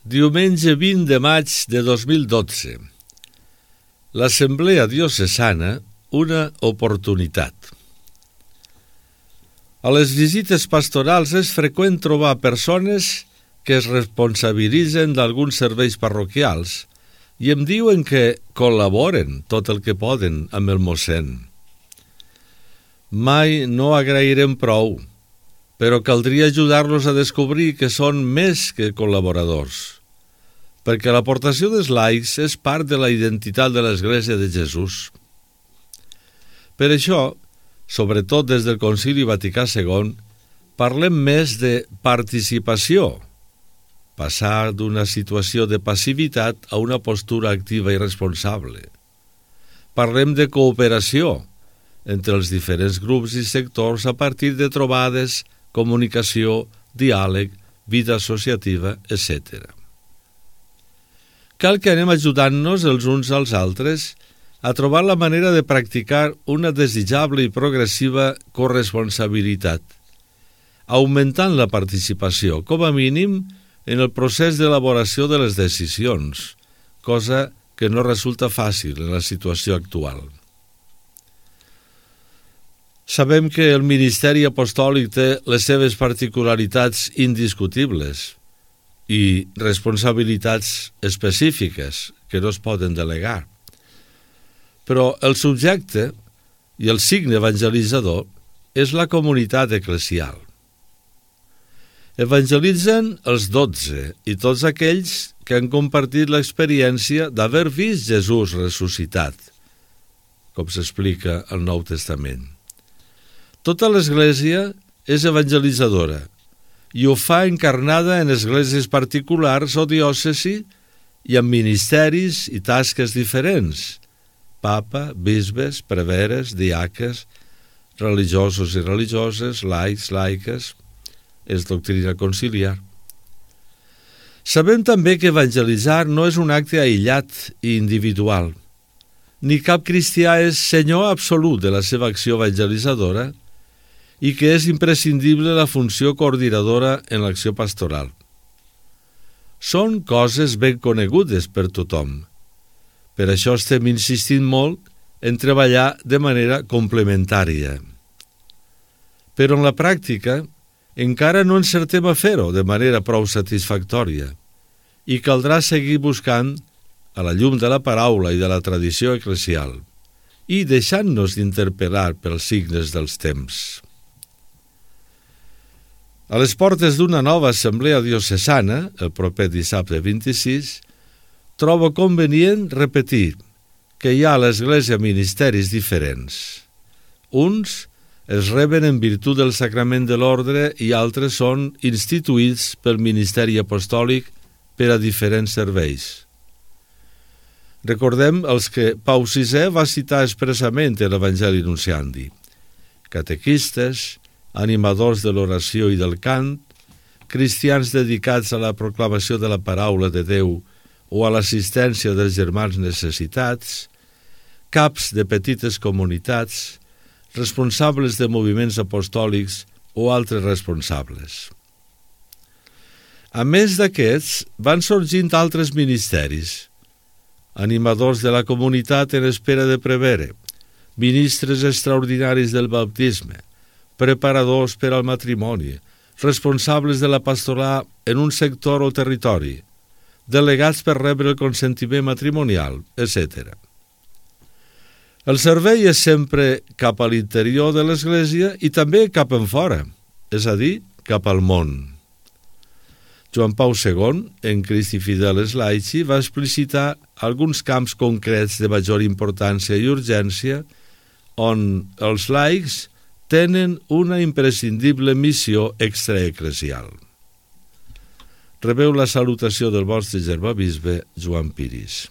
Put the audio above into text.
Diumenge 20 de maig de 2012. L'Assemblea Diocesana, una oportunitat. A les visites pastorals és freqüent trobar persones que es responsabilitzen d'alguns serveis parroquials i em diuen que col·laboren tot el que poden amb el mossèn. Mai no agrairem prou, però caldria ajudar-los a descobrir que són més que col·laboradors, perquè l'aportació dels laics és part de la identitat de l'Església de Jesús. Per això, sobretot des del Concili Vaticà II, parlem més de participació, passar d'una situació de passivitat a una postura activa i responsable. Parlem de cooperació entre els diferents grups i sectors a partir de trobades, comunicació, diàleg, vida associativa, etc. Cal que anem ajudant-nos els uns als altres a trobar la manera de practicar una desitjable i progressiva corresponsabilitat, augmentant la participació, com a mínim, en el procés d'elaboració de les decisions, cosa que no resulta fàcil en la situació actual. Sabem que el ministeri apostòlic té les seves particularitats indiscutibles i responsabilitats específiques que no es poden delegar. Però el subjecte i el signe evangelitzador és la comunitat eclesial. Evangelitzen els 12 i tots aquells que han compartit l'experiència d'haver vist Jesús ressuscitat, com s'explica al Nou Testament. Tota l'Església és evangelitzadora i ho fa encarnada en esglésies particulars o diòcesi i amb ministeris i tasques diferents: papa, bisbes, preveres, diaques, religiosos i religioses, laics, laiques, és doctrina conciliar. Sabem també que evangelitzar no és un acte aïllat i individual. Ni cap cristià és senyor absolut de la seva acció evangelitzadora i que és imprescindible la funció coordinadora en l'acció pastoral. Són coses ben conegudes per tothom. Per això estem insistint molt en treballar de manera complementària. Però en la pràctica encara no encertem a fer-ho de manera prou satisfactòria i caldrà seguir buscant, a la llum de la paraula i de la tradició eclesial, i deixant-nos d'interpel·lar pels signes dels temps. A les portes d'una nova assemblea diocesana, el proper dissabte 26, trobo convenient repetir que hi ha a l'Església ministeris diferents. Uns es reben en virtut del sacrament de l'ordre i altres són instituïts pel ministeri apostòlic per a diferents serveis. Recordem els que Pau VI va citar expressament en l'Evangeli Nunciandi: catequistes, animadors de l'oració i del cant, cristians dedicats a la proclamació de la paraula de Déu o a l'assistència dels germans necessitats, caps de petites comunitats, responsables de moviments apostòlics o altres responsables. A més d'aquests, van sorgint altres ministeris: animadors de la comunitat en espera de prevere, ministres extraordinaris del baptisme, preparadors per al matrimoni, responsables de la pastoral en un sector o territori, delegats per rebre el consentiment matrimonial, etc. El servei és sempre cap a l'interior de l'Església i també cap enfora, és a dir, cap al món. Joan Pau II, en Christi Fideles Laici, va explicitar alguns camps concrets de major importància i urgència on els laics tenen una imprescindible missió extraeclesial. Rebeu la salutació del vostre germà bisbe Joan Piris.